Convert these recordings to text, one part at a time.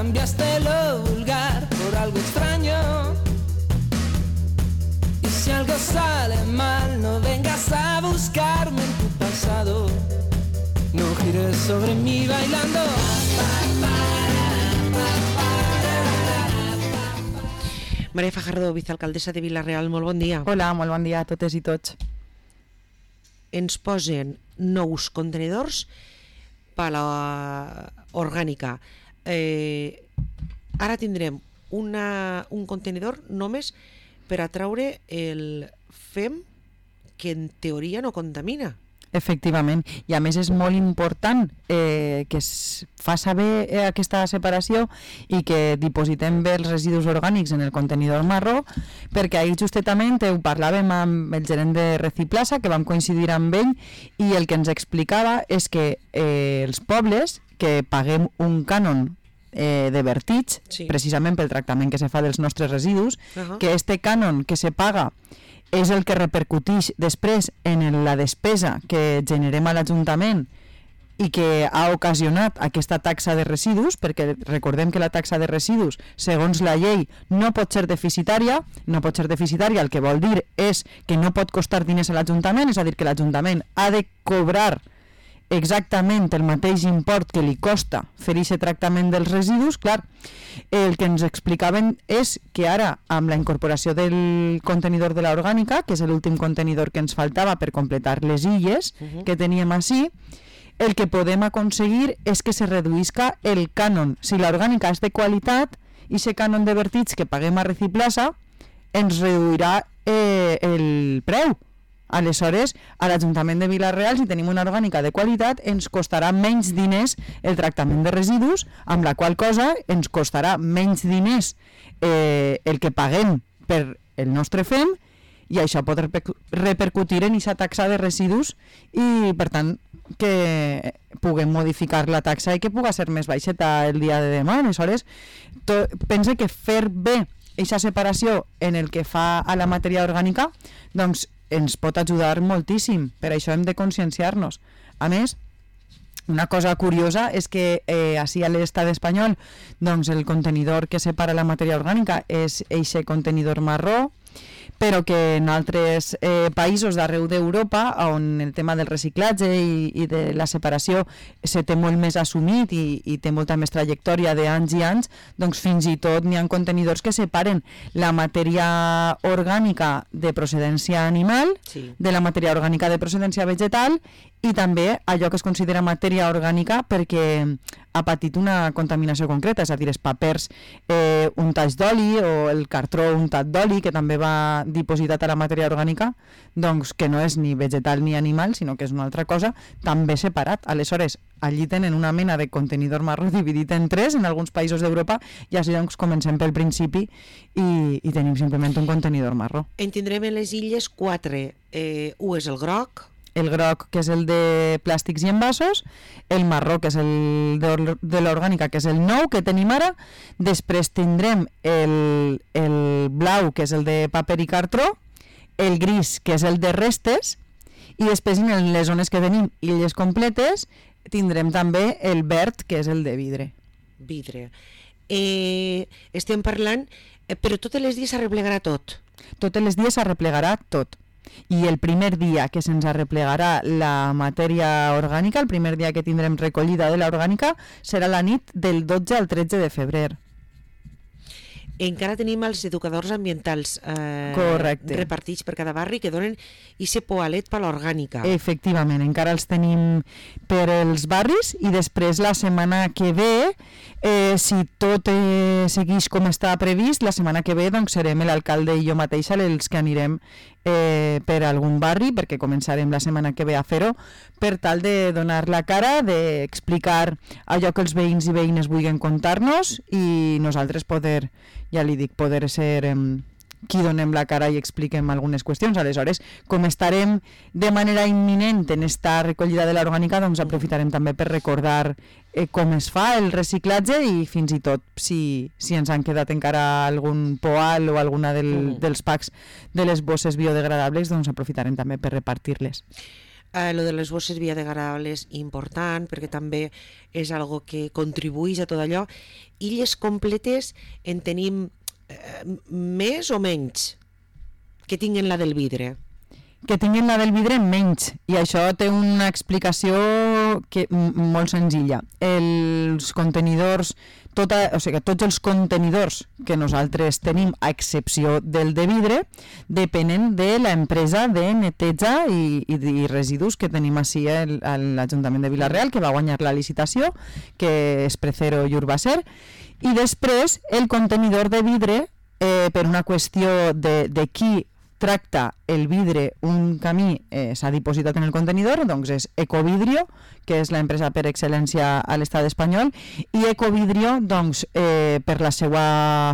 cambiaste lo vulgar por algo extraño. Y si algo sale mal, no vengas a buscarme en tu pasado. No gires sobre mí bailando. Maria Fajardo, vicealcaldessa de Vila-real, molt bon dia. Hola, molt bon dia a totes i tots. Ens posen nous contenidors per a l'orgànica. Ara tindrem un contenidor només per a treure el fem que en teoria no contamina. Efectivament, i a més és molt important que es fa saber aquesta separació i que dipositem bé els residus orgànics en el contenidor marró, perquè ahir justament ho parlàvem amb el gerent de Reciplasa, que vam coincidir amb ell, i el que ens explicava és que els pobles que paguem un cànon de vertig, sí, precisament pel tractament que se fa dels nostres residus, que este cànon que se paga és el que repercuteix després en la despesa que generem a l'Ajuntament i que ha ocasionat aquesta taxa de residus, perquè recordem que la taxa de residus, segons la llei, no pot ser deficitària. No pot ser deficitària, el que vol dir és que no pot costar diners a l'Ajuntament, és a dir, que l'Ajuntament ha de cobrar exactament el mateix import que li costa fer aquest tractament dels residus. Clar, el que ens explicaven és que ara, amb la incorporació del contenidor de l'orgànica, que és l'últim contenidor que ens faltava per completar les illes que teníem així, el que podem aconseguir és que se reduïsca el cànon. Si l'orgànica és de qualitat, i aquest cànon de vertig que paguem a Reciplasa ens reduirà el preu. Aleshores, a l'Ajuntament de Vila-real, si tenim una orgànica de qualitat, ens costarà menys diners el tractament de residus, amb la qual cosa ens costarà menys diners el que paguem per el nostre fem, i això pot repercutir en aquesta taxa de residus i, per tant, que puguem modificar la taxa i que pugui ser més baixeta el dia de demà. Aleshores, pense que fer bé aquesta separació en el que fa a la matèria orgànica, doncs, ens pot ajudar moltíssim. Per això hem de conscienciar-nos. A més, una cosa curiosa és que així a l'estat espanyol, doncs el contenidor que separa la matèria orgànica és eixe contenidor marró, però que en altres països d'arreu d'Europa, on el tema del reciclatge i de la separació se té molt més assumit i té molta més trajectòria d'anys i anys, doncs fins i tot n'hi ha contenidors que separen la matèria orgànica de procedència animal, sí, de la matèria orgànica de procedència vegetal, i també allò que es considera matèria orgànica perquè ha patit una contaminació concreta, és a dir, els papers untats d'oli o el cartró untat d'oli, que també va dipositat a la matèria orgànica, doncs que no és ni vegetal ni animal, sinó que és una altra cosa, també separat. Aleshores, allí tenen una mena de contenidor marró dividit en tres en alguns països d'Europa, i així doncs comencem pel principi i tenim simplement un contenidor marró. En tindrem en les illes 4. Un és el groc, que és el de plàstics i envasos, el marró, que és el de l'orgànica, que és el nou que tenim ara, després tindrem el blau, que és el de paper i cartró, el gris, que és el de restes, i després en les zones que tenim illes completes tindrem també el verd, que és el de vidre. Estem parlant, però totes les dies s'arreplegarà tot? Totes les dies s'arreplegarà tot. I el primer dia que se'ns arreplegarà la matèria orgànica, el primer dia que tindrem recollida de l'orgànica, serà la nit del 12 al 13 de febrer. Encara tenim els educadors ambientals repartits per cada barri que donen ese poalet per l'orgànica. Efectivament, encara els tenim per els barris, i després la setmana que ve, si tot segueix com està previst, la setmana que ve doncs, serem l'alcalde i jo mateixa els que anirem per algun barri, perquè començarem la setmana que ve a fer-ho, per tal de donar la cara, d'explicar allò que els veïns i veïnes vulguin contar-nos, i nosaltres poder, ja li dic, poder ser qui donem la cara i expliquem algunes qüestions. Aleshores, com estarem de manera imminent en esta recollida de l'orgànica, doncs aprofitarem també per recordar com es fa el reciclatge, i fins i tot si ens han quedat encara algun poal o alguna dels packs de les bosses biodegradables, doncs aprofitarem també per repartir-les. Lo de les bosses biodegradables important, perquè també és algo que contribueix a tot allò. Illes completes en tenim més o menys que tinguen la del vidre? Que tinguin la del vidre menys, i això té una explicació molt senzilla. Els contenidors, tots els contenidors que nosaltres tenim, a excepció del de vidre, depenen de l'empresa de neteja i residus que tenim així a l'Ajuntament de Vila-real, que va guanyar la licitació, que és Precero i Urbacer, i després el contenidor de vidre, per una qüestió de qui tracta el vidre un camí, s'ha dipositat en el contenidor, doncs és Ecovidrio, que és l'empresa per excel·lència a l'estat espanyol, i Ecovidrio, doncs, per la seva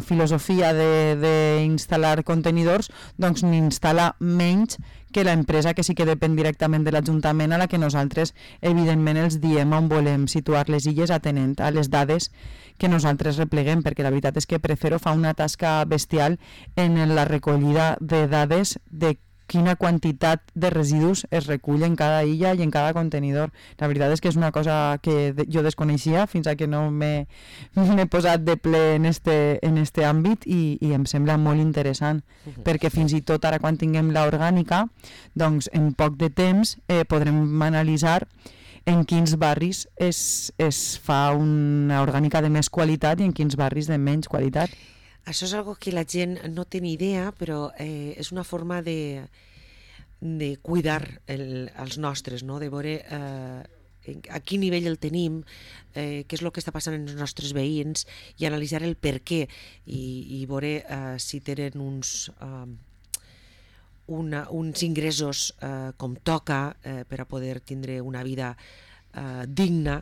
filosofia d'instal·lar contenidors, doncs n'instal·la menys que l'empresa que sí que depèn directament de l'Ajuntament, a la que nosaltres evidentment els diem on volem situar les illes atenent a les dades que nosaltres repleguem, perquè la veritat és que Precero fa una tasca bestial en la recollida de dades de quina quantitat de residus es recull en cada illa i en cada contenidor. La veritat és que és una cosa que jo desconeixia fins a que no m'he posat de ple en este àmbit i em sembla molt interessant, perquè fins i tot ara quan tinguem l'orgànica, doncs en poc de temps podrem analitzar en quins barris es fa una orgànica de més qualitat i en quins barris de menys qualitat. Això és algo que la gent no té ni idea, però és una forma de cuidar els nostres, no? De veure a quin nivell el tenim, què és el que està passant en els nostres veïns i analitzar el per què i veure si tenen uns ingressos com toca per a poder tindre una vida digna.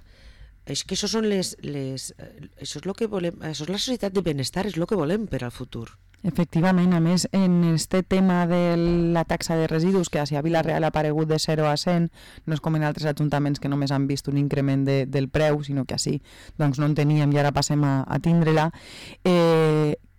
És que això és el que volem, això és la societat de benestar, és el que volem per al futur. Efectivament, a més, en este tema de la taxa de residus, que a Vila-real ha aparegut de 0 a 100, no és com en altres ajuntaments que només han vist un increment del preu, sinó que així doncs no en teníem i ara passem a tindre-la.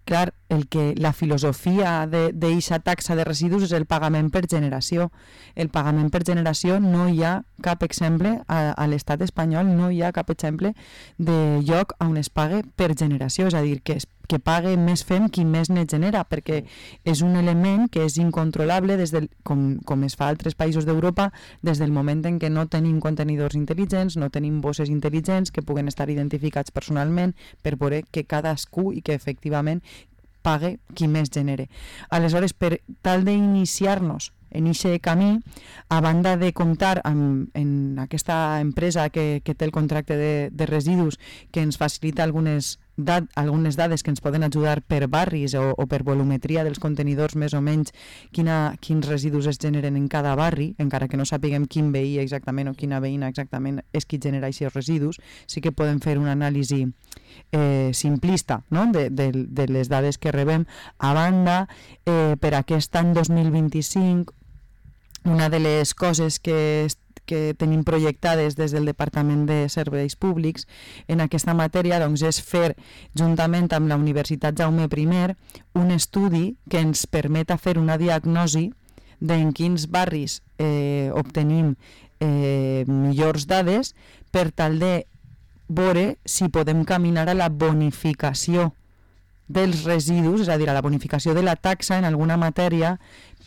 Clar, la filosofia d'eixa taxa de residus és el pagament per generació. El pagament per generació no hi ha cap exemple a l'estat espanyol, no hi ha cap exemple de lloc on es pague per generació, és a dir, que pague més fem qui més ne genera, perquè és un element que és incontrolable com es fa a altres països d'Europa, des del moment en què no tenim contenidors intel·ligents, no tenim bosses intel·ligents que puguen estar identificats personalment per veure que cadascú i que efectivament pague qui més genere. Aleshores, per tal d'iniciar-nos en aquest camí, a banda de comptar en aquesta empresa que té el contracte de residus, que ens facilita algunes dades que ens poden ajudar per barris o per volumetria dels contenidors, més o menys quins residus es generen en cada barri, encara que no sapiguem quin veí exactament o quina veïna exactament és qui genera aquests residus, sí que podem fer una anàlisi simplista, no? de les dades que rebem. A banda, per aquest any 2025, una de les coses que tenim projectades des del Departament de Serveis Públics en aquesta matèria, doncs, és fer, juntament amb la Universitat Jaume I, un estudi que ens permeta fer una diagnosi d'en quins barris obtenim millors dades per tal de veure si podem caminar a la bonificació dels residus, és a dir, a la bonificació de la taxa en alguna matèria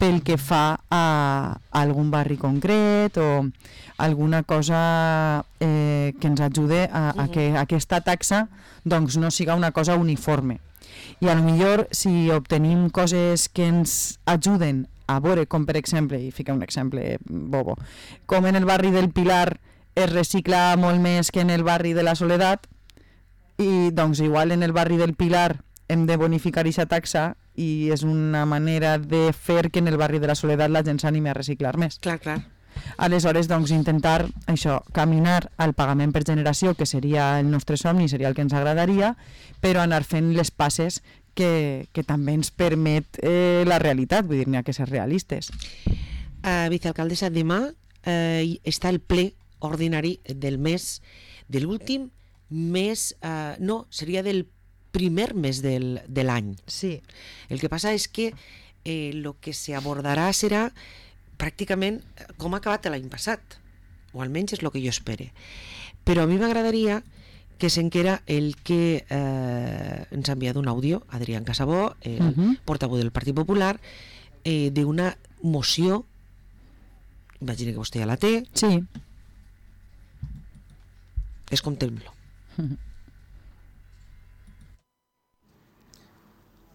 pel que fa a algun barri concret o alguna cosa que ens ajude a que aquesta taxa doncs, no siga una cosa uniforme. I a lo millor si obtenim coses que ens ajuden a veure, com per exemple, i fica un exemple bobo, com en el barri del Pilar es recicla molt més que en el barri de la Soledat, i doncs igual en el barri del Pilar hem de bonificar aquesta taxa i és una manera de fer que en el barri de la Soledat la gent s'animi a reciclar més. Clar. Aleshores, doncs, intentar això, caminar al pagament per generació, que seria el nostre somni, seria el que ens agradaria, però anar fent les passes que també ens permet la realitat, vull dir, n'hi ha que ser realistes. Vicealcaldessa, demà està el ple ordinari del mes, de l'últim mes, no, seria del primer mes de l'any. Sí. El que passa és que el que se abordarà serà pràcticament com ha acabat l'any passat, o almenys és el que jo espere. Però a mi m'agradaria que s'enquera el que ens ha enviat un àudio, Adrián Casabó, el portaveu del Partit Popular, d'una moció, imagina que vostè ja la té. Sí. Escoltem-lo.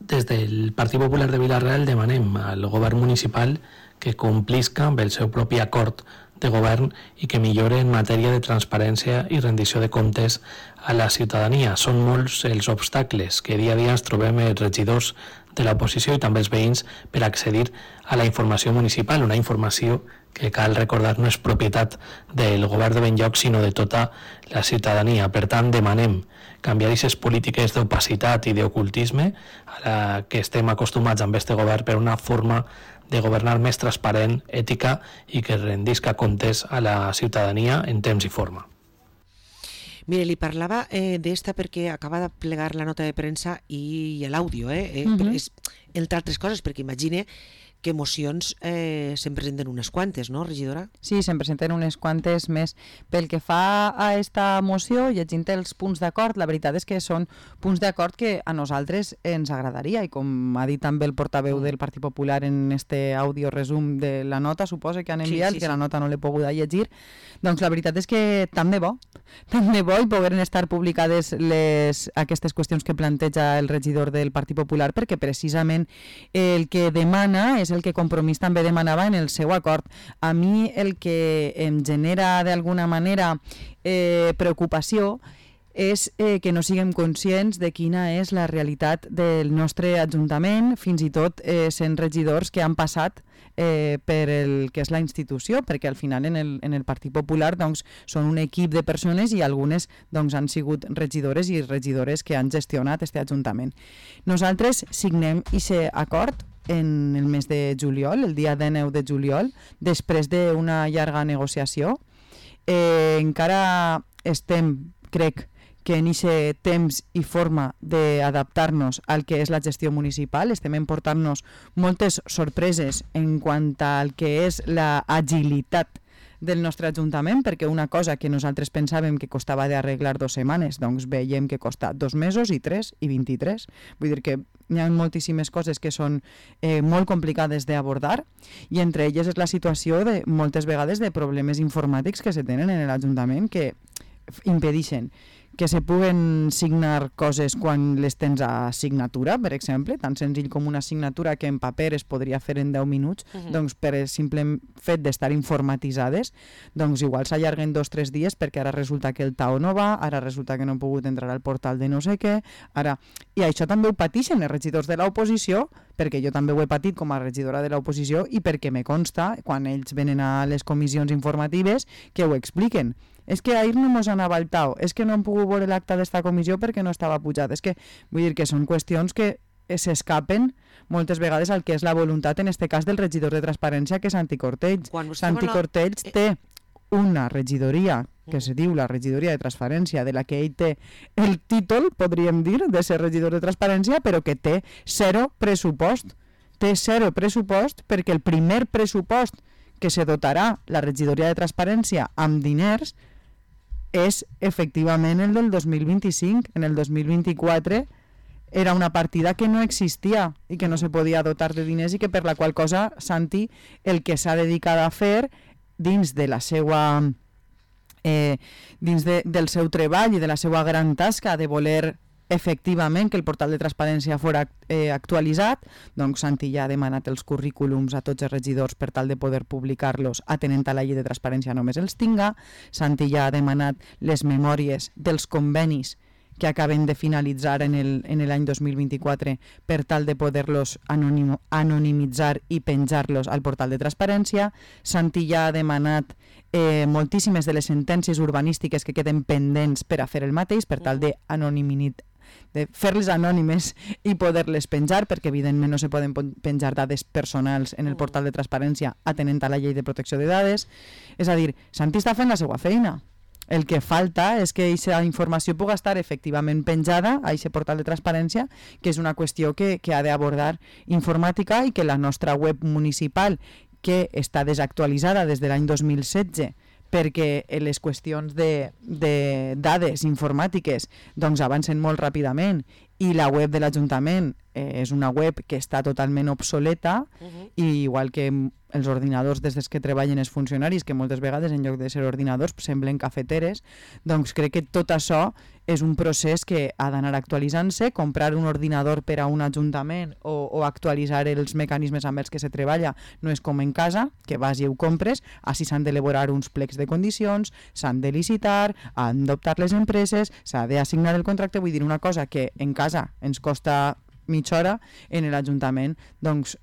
Des del Partit Popular de Vila-real demanem al govern municipal que complisca amb el seu propi acord de govern i que millore en matèria de transparència i rendició de comptes a la ciutadania. Són molts els obstacles que dia a dia ens trobem els regidors de l'oposició i també els veïns per accedir a la informació municipal, una informació que cal recordar no és propietat del govern de benlloc sinó de tota la ciutadania. Per tant, demanem canviar aquestes polítiques d'opacitat i d'ocultisme a la que estem acostumats amb este govern per una forma de governar més transparent, ètica i que rendisca comptes a la ciutadania en temps i forma. Mire, li parlava d'esta perquè acaba de plegar la nota de premsa i l'àudio, entre altres coses, perquè imagine que mocions se'n presenten unes quantes, no, regidora? Sí, se'n presenten unes quantes més. Pel que fa a esta moció, llegint els punts d'acord, la veritat és que són punts d'acord que a nosaltres ens agradaria, i com ha dit també el portaveu del Partit Popular en este àudio resum de la nota, suposa que han enviat, que la nota no l'he pogut llegir, doncs la veritat és que tant de bo i pogueren estar publicades aquestes qüestions que planteja el regidor del Partit Popular, perquè precisament el que demana és el que Compromís també demanava en el seu acord. A mi el que em genera d'alguna manera preocupació és que no siguem conscients de quina és la realitat del nostre Ajuntament, fins i tot sent regidors que han passat per el que és la institució, perquè al final en el Partit Popular doncs, són un equip de persones i algunes doncs, han sigut regidores i regidores que han gestionat aquest Ajuntament. Nosaltres signem aquest acord en el mes de juliol, el dia 19 de juliol, després d'una llarga negociació. Encara estem, crec, que en aquest temps i forma d'adaptar-nos al que és la gestió municipal. Estem emportant-nos moltes sorpreses en quant al que és l'agilitat del nostre Ajuntament, perquè una cosa que nosaltres pensàvem que costava d'arreglar 2 setmanes, doncs veiem que costa 2 mesos i 3 i 23. Vull dir que hi ha moltíssimes coses que són molt complicades d'abordar, i entre elles és la situació de moltes vegades de problemes informàtics que se tenen en l'Ajuntament que impedeixen que se puguen signar coses quan les tens a signatura, per exemple, tan senzill com una signatura que en paper es podria fer en 10 minuts, doncs per el simple fet d'estar informatitzades, doncs igual s'allarguen 2 o 3 dies perquè ara resulta que el TAO no va, ara resulta que no han pogut entrar al portal de no sé què, ara... I això també ho pateixen els regidors de l'oposició, perquè jo també ho he patit com a regidora de l'oposició i perquè me consta, quan ells venen a les comissions informatives, que ho expliquen. És que ahir no mos anava al TAO, és que no hem pogut veure l'acte d'esta comissió perquè no estava pujat. És que vull dir que són qüestions que s'escapen moltes vegades al que és la voluntat, en este cas del regidor de transparència, que és Santi Cortells. Santi Cortells té una regidoria que se diu la regidoria de transparència, de la que ell té el títol, podríem dir, de ser regidor de transparència, però que té 0 pressupost. Té 0 pressupost perquè el primer pressupost que se dotarà la regidoria de transparència amb diners és efectivament el del 2025. En el 2024 era una partida que no existia i que no se podia dotar de diners i que per la qual cosa Santi el que s'ha dedicat a fer dins de la seva del seu treball i de la seva gran tasca de voler efectivament que el portal de transparència fos actualitzat, doncs Santi ja ha demanat els currículums a tots els regidors per tal de poder publicar-los atenent a la llei de transparència només els tinga. Santi ja ha demanat les memòries dels convenis que acaben de finalitzar en l'any 2024 per tal de poder-los anonimitzar i penjar-los al portal de transparència. Santi ja ha demanat moltíssimes de les sentències urbanístiques que queden pendents per a fer el mateix, per tal de fer-les anònimes i poder-les penjar, perquè evidentment no se poden penjar dades personals en el portal de transparència atenent a la llei de protecció de dades. És a dir, Santi està fent la seva feina. El que falta és que aquesta informació pugui estar efectivament penjada a aquest portal de transparència, que és una qüestió que ha d'abordar informàtica i que la nostra web municipal, que està desactualitzada des de l'any 2016 perquè les qüestions de dades informàtiques doncs avancen molt ràpidament i la web de l'Ajuntament és una web que està totalment obsoleta i igual que els ordinadors des que treballen els funcionaris, que moltes vegades en lloc de ser ordinadors semblen cafeteres, doncs crec que tot això és un procés que ha d'anar actualitzant-se. Comprar un ordinador per a un ajuntament o actualitzar els mecanismes amb els que se treballa no és com en casa, que vas i ho compres, així s'han d'elaborar uns plecs de condicions, s'han de licitar, han d'optar les empreses, s'ha d'assignar el contracte. Vull dir, una cosa que en casa ens costa mitja hora, en l'Ajuntament doncs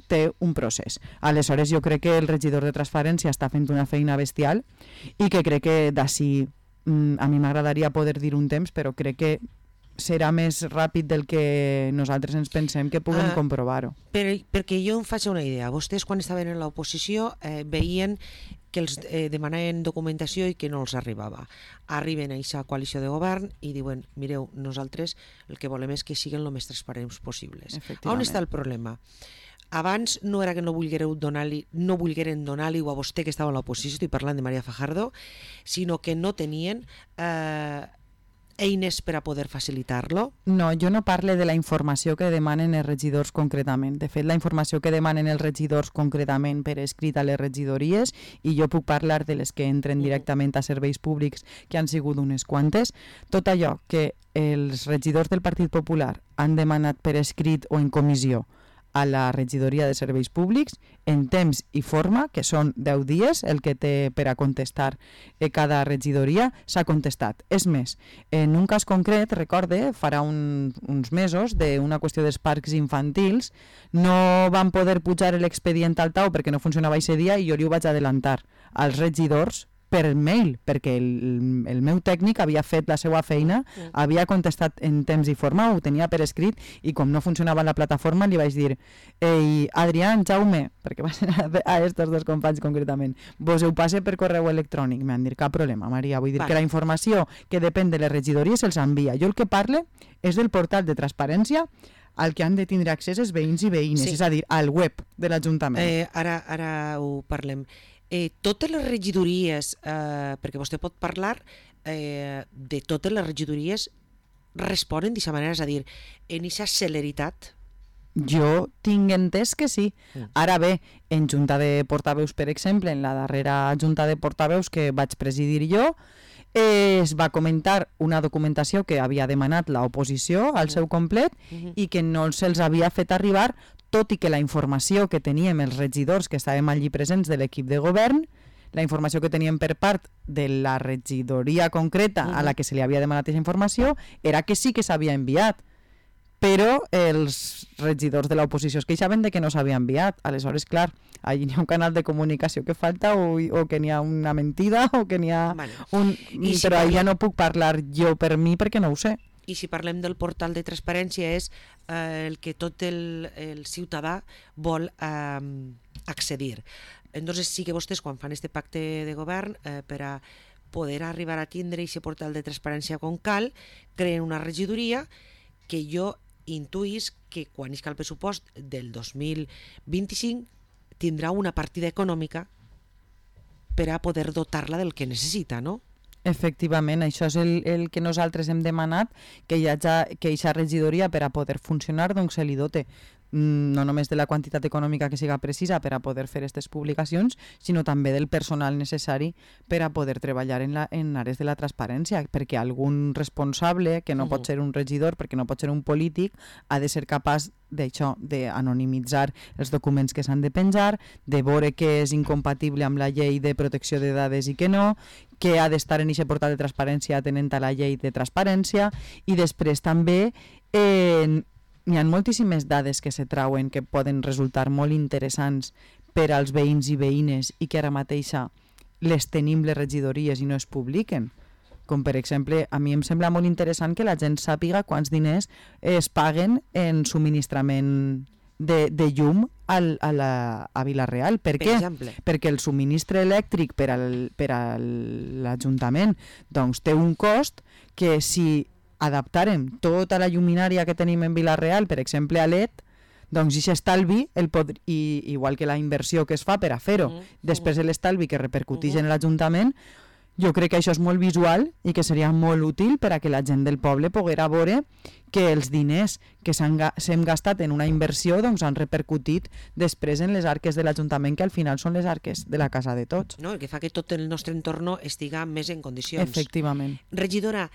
té un procés. Aleshores jo crec que el regidor de Transparència està fent una feina bestial i que crec que d'ací a mi m'agradaria poder dir un temps, però crec que serà més ràpid del que nosaltres ens pensem que puguem comprovar-ho. Perquè jo em faig una idea. Vostès quan estaven en l'oposició veien que els demanaven documentació i que no els arribava. Arriben a aquesta coalició de govern i diuen, mireu, nosaltres el que volem és que siguin el més transparents possibles. On està el problema? Abans no era que no volgueren donar-li a vostè que estava a l'oposició, estic parlant de Maria Fajardo, sinó que no tenien eines per a poder facilitar-lo? No, jo no parle de la informació que demanen els regidors concretament. De fet, la informació que demanen els regidors concretament per escrit a les regidories, i jo puc parlar de les que entren directament a serveis públics, que han sigut unes quantes, tot allò que els regidors del Partit Popular han demanat per escrit o en comissió a la regidoria de serveis públics, en temps i forma, que són 10 dies, el que té per a contestar cada regidoria, s'ha contestat. És més, en un cas concret, recorde, farà uns mesos, d'una qüestió dels parcs infantils, no van poder pujar l'expedient al tau perquè no funcionava aquest dia i jo li ho vaig adelantar als regidors per mail, perquè el meu tècnic havia fet la seva feina, havia contestat en temps i forma, ho tenia per escrit, i com no funcionava la plataforma li vaig dir, ei, Adrián, Jaume, perquè va ser a estos dos companys concretament, vos ho passe per correu electrònic. M'han dit, cap problema, Maria, vull dir que la informació que depèn de les regidories se'ls envia. Jo el que parle és del portal de transparència al que han de tindre accés els veïns i veïnes, és a dir, al web de l'Ajuntament. Ara ho parlem. Totes les regidories, perquè vostè pot parlar de totes les regidories, responen d'aquesta manera, és a dir, en aquesta celeritat? Jo tinc entès que sí. Ara bé, en Junta de Portaveus, per exemple, en la darrera Junta de Portaveus que vaig presidir jo, es va comentar una documentació que havia demanat l'oposició al seu complet i que no se'ls havia fet arribar, tot i que la informació que teníem els regidors que estàvem allí presents de l'equip de govern, la informació que teníem per part de la regidoria concreta a la que se li havia demanat aquesta informació era que sí que s'havia enviat, però els regidors de l'oposició es queixaven de que no s'havia enviat. Aleshores, clar, allí hi ha un canal de comunicació que falta o que n'hi ha una mentida o que n'hi ha un... Però allà no puc parlar jo per mi perquè no ho sé. I si parlem del portal de transparència és el que tot el ciutadà vol accedir. Entonces sí que vostès quan fan este pacte de govern per a poder arribar a tindre aquest portal de transparència com cal, creen una regidoria que jo intuïs que quan isca el pressupost del 2025 tindrà una partida econòmica per a poder dotar-la del que necessita, no? Efectivament, això és el que nosaltres hem demanat, que aquesta regidoria per a poder funcionar doncs se li dote no només de la quantitat econòmica que siga precisa per a poder fer aquestes publicacions, sinó també del personal necessari per a poder treballar en àrees de la transparència, perquè algun responsable, que no pot ser un regidor, perquè no pot ser un polític, ha de ser capaç d'això, d'anonimitzar els documents que s'han de penjar, de veure què és incompatible amb la llei de protecció de dades i què no, que ha d'estar en aquest portal de transparència atenent a la llei de transparència, i després també hi ha moltíssimes dades que se trauen que poden resultar molt interessants per als veïns i veïnes i que ara mateixa les tenim les regidories i no es publiquen. Com per exemple, a mi em sembla molt interessant que la gent sàpiga quants diners es paguen en subministrament de llum a Vila-real. Per què? Perquè el subministre elèctric per a l'Ajuntament doncs, té un cost que si adaptàrem tota la lluminària que tenim en Vila-real, per exemple a LED, Doncs aquest estalvi, igual que la inversió que es fa per a fer-ho, després l'estalvi que repercuteix en l'Ajuntament, jo crec que això és molt visual i que seria molt útil per a que la gent del poble poguera veure que els diners que s'hem gastat en una inversió doncs han repercutit després en les arques de l'Ajuntament, que al final són les arques de la casa de tots. No, el que fa que tot el nostre entorn estiga més en condicions. Efectivament. Regidora,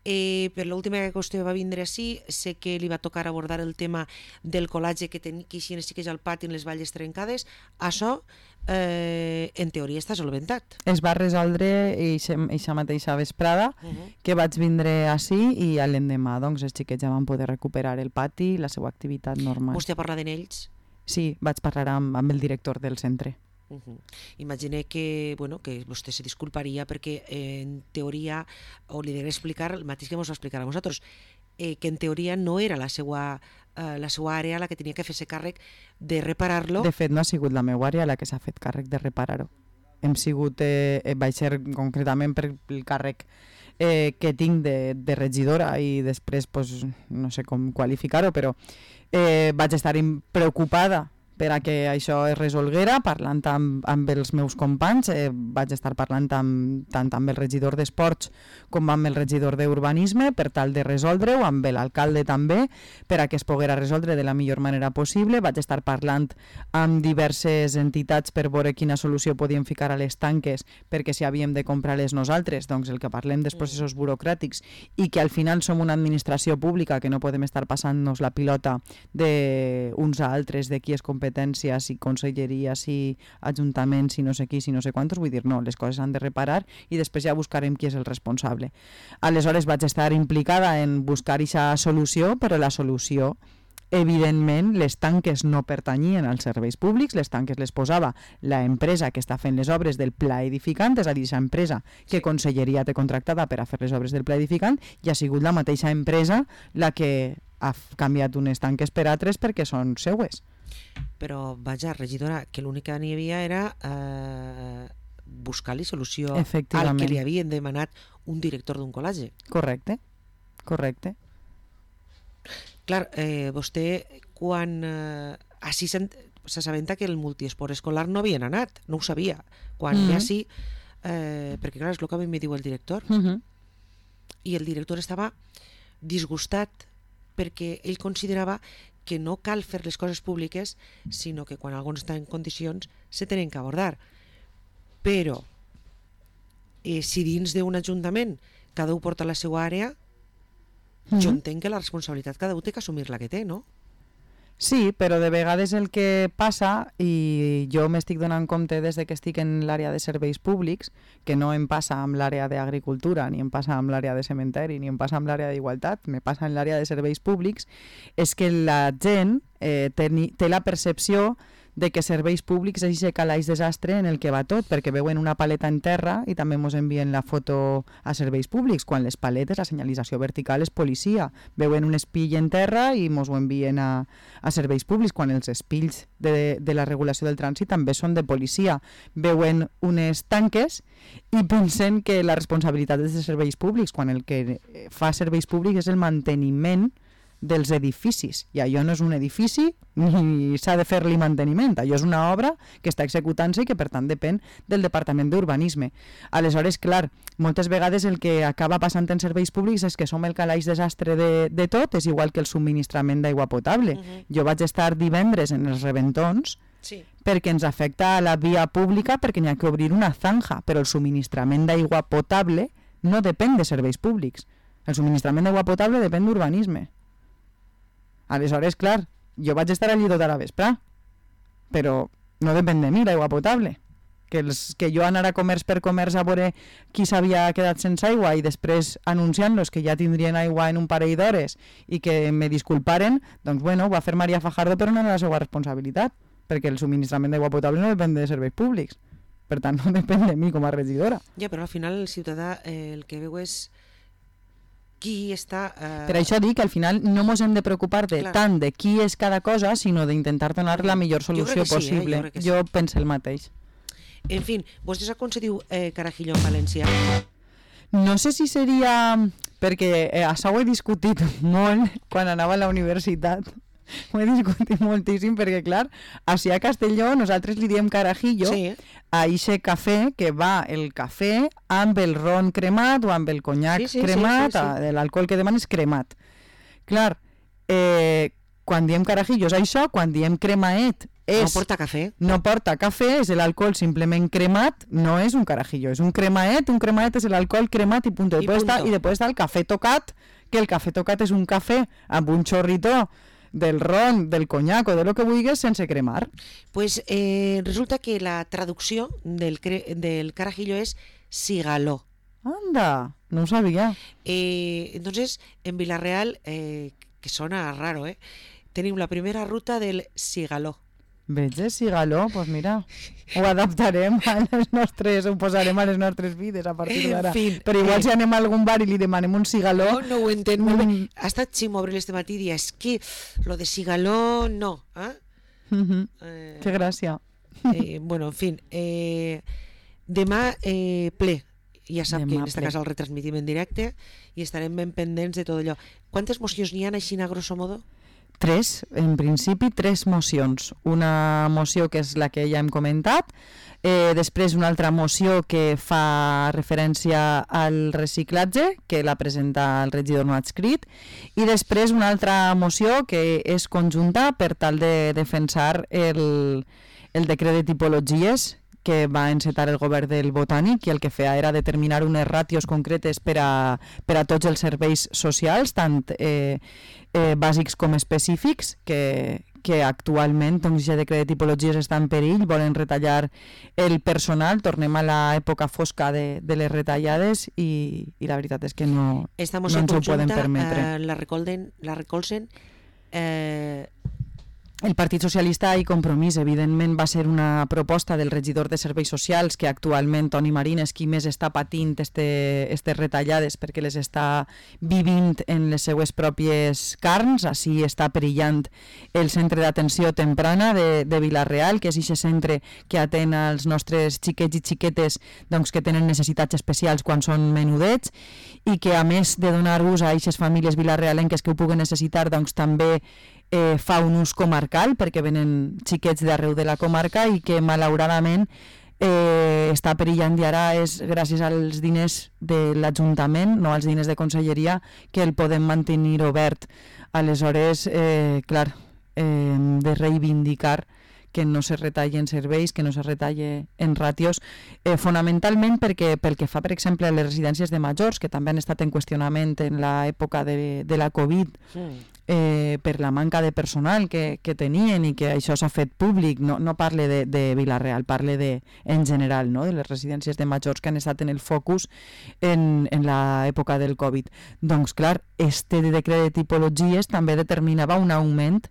per l'última que vostè va vindre així, sé que li va tocar abordar el tema del colatge que així les xiques al pati en les valles trencades. Això, en teoria, està solventat. Es va resoldre eixa mateixa vesprada que vaig vindre així i l'endemà doncs, els xiquets ja van poder recuperar el pati i la seva activitat normal. Vostè ha parlat en ells? Sí, vaig parlar amb el director del centre. Imagine que, bueno, que vostè se disculparia perquè en teoria, o li diré explicar el mateix que ens va explicar a nosaltres, que en teoria no era la seva àrea la que tenia que fer-se càrrec de reparar-lo. De fet, no ha sigut la meva àrea la que s'ha fet càrrec de reparar-ho. Vaig ser concretament per el càrrec que tinc de regidora i després pues, no sé com qualificar-ho, però vaig estar preocupada per a que això es resolguera, parlant amb els meus companys. Vaig estar parlant tant amb el regidor d'Esports com amb el regidor d'Urbanisme per tal de resoldre-ho, amb l'alcalde també, per a que es poguera resoldre de la millor manera possible. Vaig estar parlant amb diverses entitats per veure quina solució podíem ficar a les tanques, perquè si havíem de comprar-les nosaltres, doncs el que parlem dels processos burocràtics i que al final som una administració pública que no podem estar passant-nos la pilota d'uns a altres, de qui és competència, i conselleries i ajuntaments i no sé qui, i no sé quantos, vull dir, no, les coses s'han de reparar i després ja buscarem qui és el responsable. Aleshores vaig estar implicada en buscar aquesta solució, però la solució, evidentment, les tanques no pertanyien als serveis públics, les tanques les posava l'empresa que està fent les obres del pla edificant, és a dir, aquesta empresa que conselleria té contractada per a fer les obres del pla edificant, i ha sigut la mateixa empresa la que ha canviat unes tanques per altres perquè són seues. Però, vaja, regidora, que l'únic que n'hi havia era buscar-li solució al que li havien demanat un director d'un col·legi. Correcte, correcte. Clar, vostè, quan així s'assabenta que el multiesport escolar no havien anat, no ho sabia. Quan ve així, perquè clar, és el que a mi me diu el director, i el director estava disgustat perquè ell considerava que no cal fer les coses públiques, sinó que quan algú està en condicions se tenen que abordar. Però, si dins d'un ajuntament cada un porta la seva àrea, jo entenc que la responsabilitat cada un té que assumir la que té, no? Sí, però de vegades el que passa, i jo m'estic donant compte des que estic en l'àrea de serveis públics, que no em passa amb l'àrea d'agricultura, ni em passa amb l'àrea de cementeri, ni em passa amb l'àrea d'igualtat, me passa en l'àrea de serveis públics, és que la gent té la percepció de que serveis públics és aquest calaix desastre en el que va tot, perquè veuen una paleta en terra i també ens envien la foto a serveis públics, quan les paletes, la senyalització vertical és policia. Veuen un espill en terra i ens ho envien a serveis públics, quan els espills de la regulació del trànsit també són de policia. Veuen unes tanques i pensen que la responsabilitat és de serveis públics, quan el que fa serveis públics és el manteniment dels edificis, i allò no és un edifici ni s'ha de fer-li manteniment, allò és una obra que està executant-se i que per tant depèn del Departament d'Urbanisme. Aleshores, clar, moltes vegades el que acaba passant en serveis públics és que som el calaix desastre de tot, és igual que el subministrament d'aigua potable. Jo vaig estar divendres en els reventons perquè ens afecta a la via pública, perquè n'hi ha que obrir una zanja, però el subministrament d'aigua potable no depèn de serveis públics. El subministrament d'aigua potable depèn d'urbanisme. Aleshores, clar, jo vaig estar allí tota la vespre, però no depèn de mi l'aigua potable. Que jo anar a comerç per comerç a veure qui s'havia quedat sense aigua i després anunciant-los que ja tindrien aigua en un parell d'hores i que me disculparen, doncs bueno, ho va fer Maria Fajardo, però no era la seva responsabilitat, perquè el subministrament d'aigua potable no depèn de serveis públics. Per tant, no depèn de mi com a regidora. Ja, però al final el ciutadà el que veu és qui està... Per això dic que al final no ens hem de preocupar tant de qui és cada cosa, sinó d'intentar donar la millor solució possible. Jo penso el mateix. En fi, vostè sap com se diu carajillo en valencià? No sé si seria... Perquè això ho he discutit molt quan anava a la universitat. Ho he discutit moltíssim perquè, clar, així a Castelló nosaltres li diem carajillo a ixe cafè que va el cafè amb el ron cremat o amb el conyac cremat, l'alcohol que demanes cremat. Clar, quan diem carajillo és això, quan diem cremaet no porta cafè. No porta cafè, és l'alcohol simplement cremat, no és un carajillo, és un cremaet és l'alcohol cremat i punto. I després està el cafè tocat, que el cafè tocat és un cafè amb un xorrito del ron, del conyac o de lo que vulguis sense cremar. Pues resulta que la traducció del carajillo és cigaló. Anda, no ho sabia. Entonces, en Vila-real, que sona raro, tenim la primera ruta del cigaló. Veig, cigaló, doncs mira, ho adaptarem a les nostres, ho posarem a les nostres vides a partir d'ara. Però igual si anem a algun bar i li demanem un cigaló... No ho entenc molt bé. Ha estat Ximo Abril este matí i dia, és que lo de cigaló no. Que gràcia. Bueno, en fi, demà ple. Ja sap que en aquesta casa el retransmitim en directe i estarem ben pendents de tot allò. Quantes mocions n'hi ha així a grosso modo? 3, en principi 3 mocions. Una moció que és la que ja hem comentat, després una altra moció que fa referència al reciclatge, que la presenta el regidor no adscrit, i després una altra moció que és conjunta per tal de defensar el decret de tipologies que va encetar el govern del Botànic i el que feia era determinar unes ràtios concretes per a tots els serveis socials, tant bàsics com específics, que actualment doncs, ja decret de tipologies està en perill, volen retallar el personal, tornem a l'època fosca de les retallades i la veritat és que no ens ho poden permetre. La recolzen el Partit Socialista i Compromís, evidentment, va ser una proposta del regidor de Serveis Socials que actualment Toni Marín és qui més està patint aquestes retallades perquè les està vivint en les seues pròpies carns. Així està perillant el centre d'atenció temprana de Vila-real, que és aquest centre que atén als nostres xiquets i xiquetes doncs, que tenen necessitats especials quan són menudets i que, a més de donar ús a aquestes famílies vilarealenques que ho puguen necessitar, doncs també fa un ús comarcal perquè venen xiquets d'arreu de la comarca i que malauradament està perillant i ara és gràcies als diners de l'Ajuntament, no als diners de Conselleria, que el podem mantenir obert. Aleshores, clar, de reivindicar que no se retallen serveis, que no se retalle en ràtios, fonamentalment perquè pel que fa, per exemple, a les residències de majors, que també han estat en qüestionament en l'època de la Covid, per la manca de personal que tenien i que això s'ha fet públic, no parle de Vila-real, parle en general, no? De les residències de majors que han estat en el focus en l'època del Covid. Doncs clar, este decret de tipologies també determinava un augment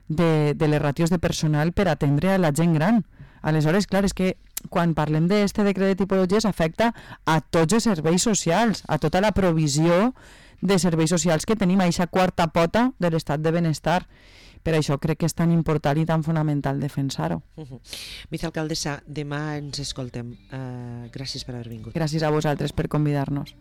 de les ràtios de personal per atendre a la gent gran. Aleshores, clar, és que quan parlem d'aquest decret de tipologies afecta a tots els serveis socials, a tota la provisió de serveis socials que tenim, a aquesta quarta pota de l'estat de benestar. Per això crec que és tan important i tan fonamental defensar-ho. Vicealcaldessa, demà ens escoltem. Gràcies per haver vingut. Gràcies a vosaltres per convidar-nos.